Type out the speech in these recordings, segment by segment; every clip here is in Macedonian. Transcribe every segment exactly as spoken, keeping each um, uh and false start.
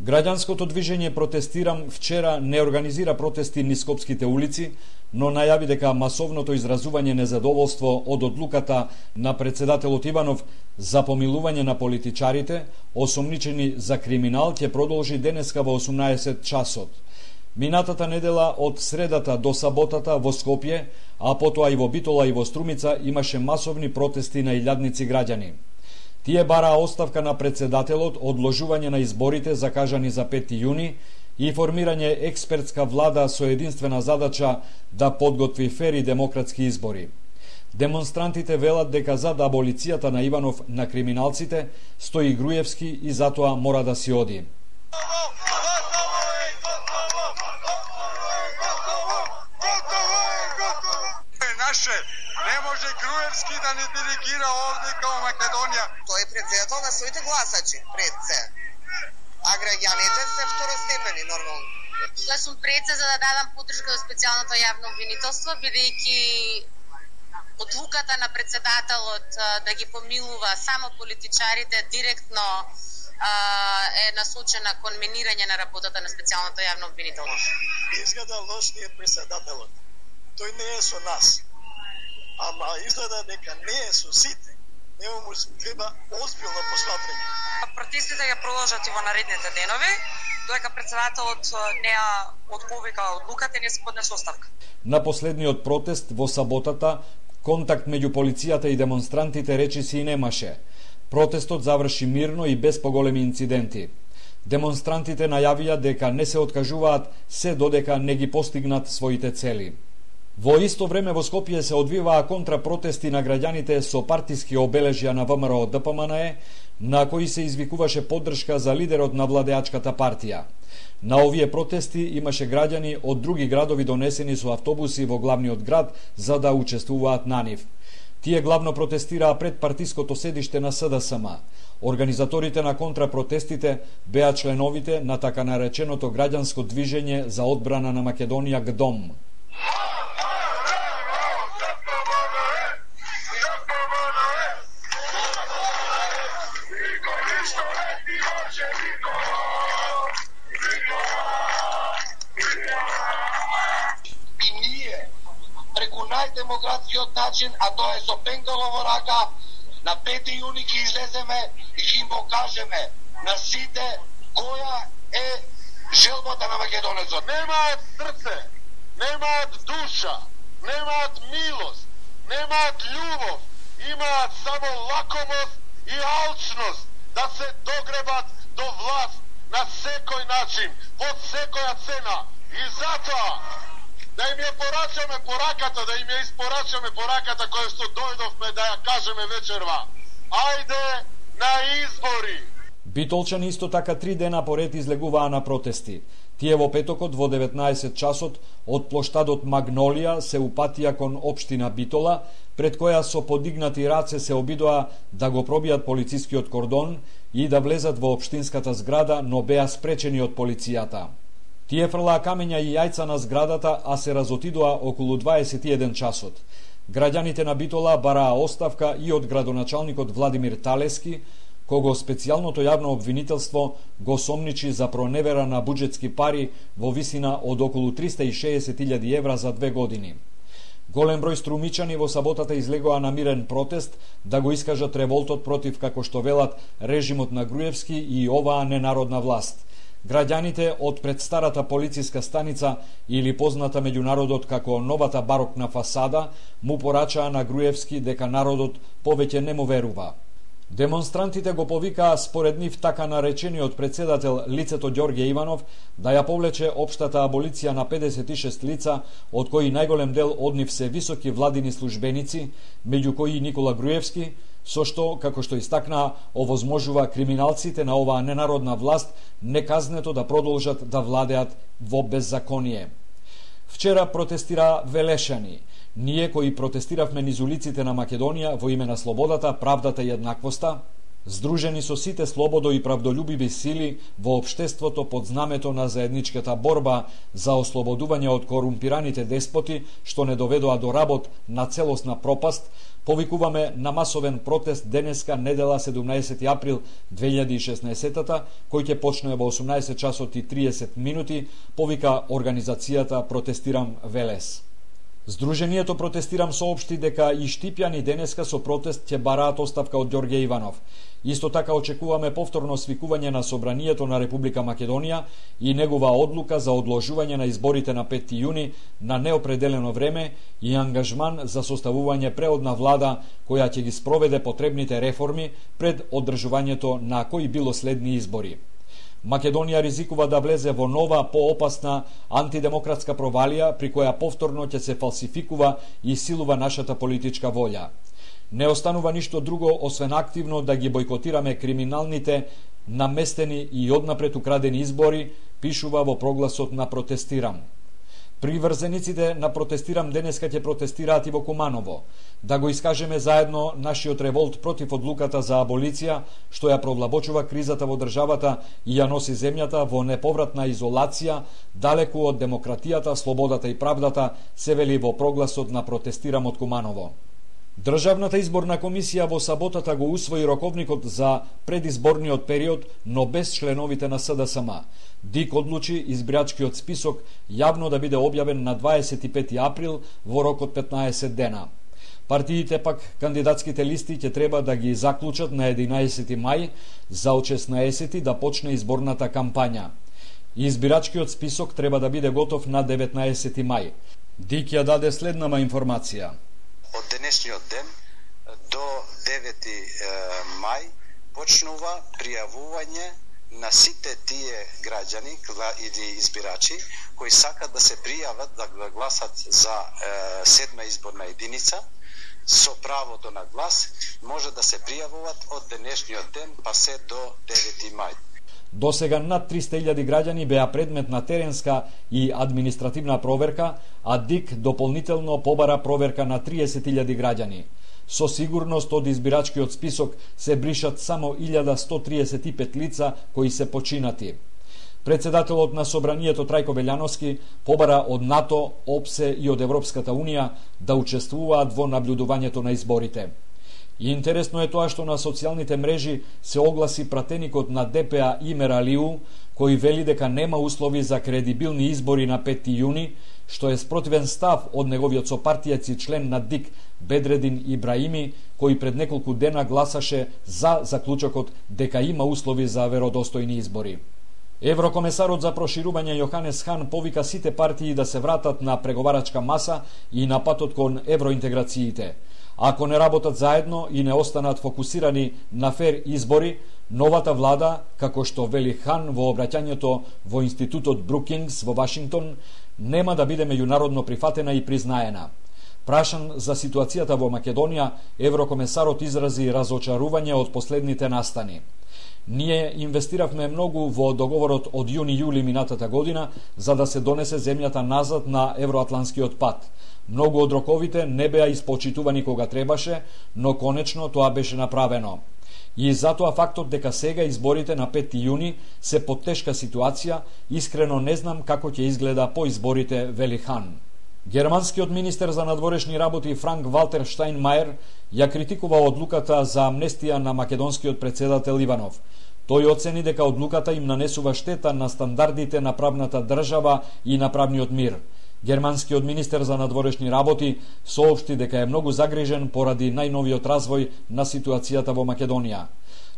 Граѓанското движење Протестирам вчера не организира протести низ скопските улици, но најави дека масовното изразување незадоволство од одлуката на председателот Иванов за помилување на политичарите, осомничени за криминал, ќе продолжи денеска во осумнаесет часот. Минатата недела од средата до саботата во Скопје, а потоа и во Битола и во Струмица имаше масовни протести на илјадници граѓани. Тие бараа оставка на председателот, одложување на изборите закажани за пети јуни и формирање експертска влада со единствена задача да подготви фер и демократски избори. Демонстрантите велат дека зад аболицијата на Иванов на криминалците стои Груевски и затоа мора да си оди. Наше, не може Груевски да не диригира овде као Македонија. Тој е председател на своите гласачи пред се. А граѓаните се второстепени нормално. Јас сум пред се за да дадам поддршка за специјалното јавно обвинителство, бидејќи одлуката на председателот да ги помилува само политичарите директно е насочена кон минирање на работата на специјалното јавно обвинителство. Изгледа лош ни е председателот. Тој не е со нас. Ама изгледа дека не е со сите. Нема му треба озбилно посматрање. Протестите ќе продолжат и во наредните денови, додека председателот не ја отповика одлуката и не се поднесе оставка. На последниот протест во саботата контакт меѓу полицијата и демонстрантите речиси и немаше. Протестот заврши мирно и без поголеми инциденти. Демонстрантите најавија дека не се откажуваат се додека не ги постигнат своите цели. Во исто време во Скопје се одвиваа контрапротести на граѓаните со партиски обележја на ВМРО Д П М Н Е, на кои се извикуваше поддршка за лидерот на владеачката партија. На овие протести имаше граѓани од други градови донесени со автобуси во главниот град за да учествуваат на нив. Тие главно протестираа пред партиското седиште на С Д С М. Организаторите на контрапротестите беа членовите на така нареченото граѓанско движење за одбрана на Македонија Г Д О М. Најдемократскиот начин, а тоа е со пенкало во рака, на пети јуни ќе излеземе и ќе им покажеме на сите која е желбата на македонецот. Немаат срце, немаат душа, немаат милост, немаат љубов, имаат само лакомост и алчност да се догребат до власт на секој начин, под секоја цена. И затоа да им ја порачаме пораката, да им ја испорачаме пораката која што дојдовме да ја кажеме вечерва. Ајде на избори! Битолчани исто така три дена поред излегуваа на протести. Тие во петокот во деветнаесет часот од плоштадот Магнолија се упатија кон општина Битола, пред која со подигнати раце се обидоа да го пробијат полицискиот кордон и да влезат во општинската зграда, но беа спречени од полицијата. Тие фрлаа камења и јајца на зградата, а се разотидоа околу дваесет и еден часот. Граѓаните на Битола бараа оставка и од градоначалникот Владимир Талески, кого специјалното јавно обвинителство го сомничи за проневера на буџетски пари во висина од околу триста и шеесет илјади евра за две години. Голем број струмичани во саботата излегоа на мирен протест да го искажат револтот против, како што велат, режимот на Груевски и оваа ненародна власт. Граѓаните од предстарата полициска станица или позната меѓу народот како новата барокна фасада му порачаа на Груевски дека народот повеќе не му верува. Демонстрантите го повикаа според нив така наречениот председател лицето Ѓорѓе Иванов да ја повлече општата аболиција на педесет и шест лица, од кои најголем дел од нив се високи владини службеници, меѓу кои Никола Груевски, со што, како што истакнаа, овозможува криминалците на оваа ненародна власт неказнето да продолжат да владеат во беззаконие. Вчера протестира Велешани. Ние кои протестиравме низ улиците на Македонија во име на слободата, правдата и еднаквоста, здружени со сите слободо и правдолюбиви сили во општеството под знамето на заедничката борба за ослободување од корумпираните деспоти што не доведоа до работ на целосна пропаст, Повикуваме на масовен протест денеска, недела седумнаесети април две илјади и шеснаесета, кој ќе почне во осумнаесет часот и триесет минути, повика организацијата Протестирам Велес. Сдруженијето Протестирам соопшти дека и штипјани денеска со протест ќе бараат оставка од Ѓорѓе Иванов. Исто така очекуваме повторно свикување на Собранието на Република Македонија и негова одлука за одложување на изборите на петти јуни на неопределено време и ангажман за составување преодна влада која ќе ги спроведе потребните реформи пред одржувањето на кои било следни избори. Македонија ризикува да влезе во нова, поопасна антидемократска провалија при која повторно ќе се фалсификува и силува нашата политичка волја. Не останува ништо друго освен активно да ги бойкотираме криминалните, наместени и однапред украдени избори, пишува во прогласот на Протестирам. Приврзениците на Протестирам денеска ќе протестираат и во Куманово, да го искажеме заедно нашиот револт против одлуката за аболиција, што ја провлабочува кризата во државата и ја носи земјата во неповратна изолација, далеку од демократијата, слободата и правдата, се вели во прогласот на Протестирам од Куманово. Државната изборна комисија во саботата го усвои роковникот за предизборниот период, но без членовите на С Д С М. ДИК одлучи избирачкиот список јавно да биде објавен на дваесет и пети април во рок од петнаесет дена. Партиите пак кандидатските листи ќе треба да ги заклучат на единаесети мај, за од шеснаесети да почне изборната кампања. Избирачкиот список треба да биде готов на деветнаесети мај. ДИК ја даде следнава информација. Од денешниот ден до девети мај почнува пријавување на сите тие граѓани или избирачи кои сакат да се пријават да гласат за е, седма изборна единица со правото на глас, може да се пријавуваат од денешниот ден па се до девети мај. До сега над триста илјади граѓани беа предмет на теренска и административна проверка, а ДИК дополнително побара проверка на триесет илјади граѓани. Со сигурност од избирачкиот список се бришат само илјада сто триесет и пет лица кои се починати. Председателот на Собранието Трајко Белјановски побара од НАТО, ОПСЕ и од Европската Унија да учествуваат во наблюдувањето на изборите. И интересно е тоа што на социјалните мрежи се огласи пратеникот на Д П А Имер Алиу, кој вели дека нема услови за кредибилни избори на петти јуни, што е спротивен став од неговиот сопартијац и член на ДИК Бедредин Ибраими, кој пред неколку дена гласаше за заклучокот дека има услови за веродостојни избори. Еврокомесарот за проширување Јоханес Хан повика сите партии да се вратат на преговарачка маса и на патот кон евроинтеграциите. Ако не работат заедно и не останат фокусирани на фер избори, новата влада, како што вели Хан во обраќањето во Институтот Брукингс во Вашингтон, нема да биде меѓународно прифатена и признаена. Прашан за ситуацијата во Македонија, еврокомесарот изрази разочарување од последните настани. Ние инвестиравме многу во договорот од јуни-јули минатата година за да се донесе земјата назад на евроатланскиот пат. Многу од роковите не беа испочитувани кога требаше, но конечно тоа беше направено. И затоа фактот дека сега изборите на петти јуни се под тешка ситуација, искрено не знам како ќе изгледа по изборите, вели Хан. Германскиот министер за надворешни работи Франк Валтер Штајнмајер ја критикува одлуката за амнестија на македонскиот председател Иванов. Тој оцени дека одлуката им нанесува штета на стандардите на правната држава и на правниот мир. Германскиот министер за надворешни работи соопшти дека е многу загрижен поради најновиот развој на ситуацијата во Македонија.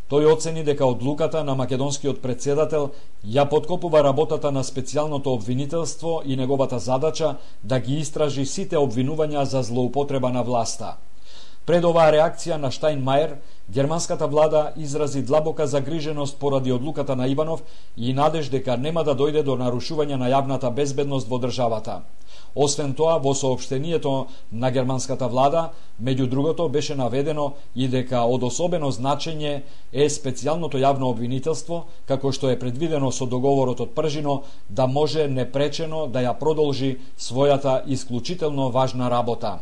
Тој оцени дека одлуката на македонскиот председател ја подкопува работата на специјалното обвинителство и неговата задача да ги истражи сите обвинувања за злоупотреба на власта. Пред оваа реакција на Штајнмајер, германската влада изрази длабока загриженост поради одлуката на Иванов и надеж дека нема да дојде до нарушување на јавната безбедност во државата. Освен тоа, во соопштението на германската влада, меѓу другото беше наведено и дека од особено значење е специјалното јавно обвинителство, како што е предвидено со договорот од Пржино, да може непречено да ја продолжи својата исклучително важна работа.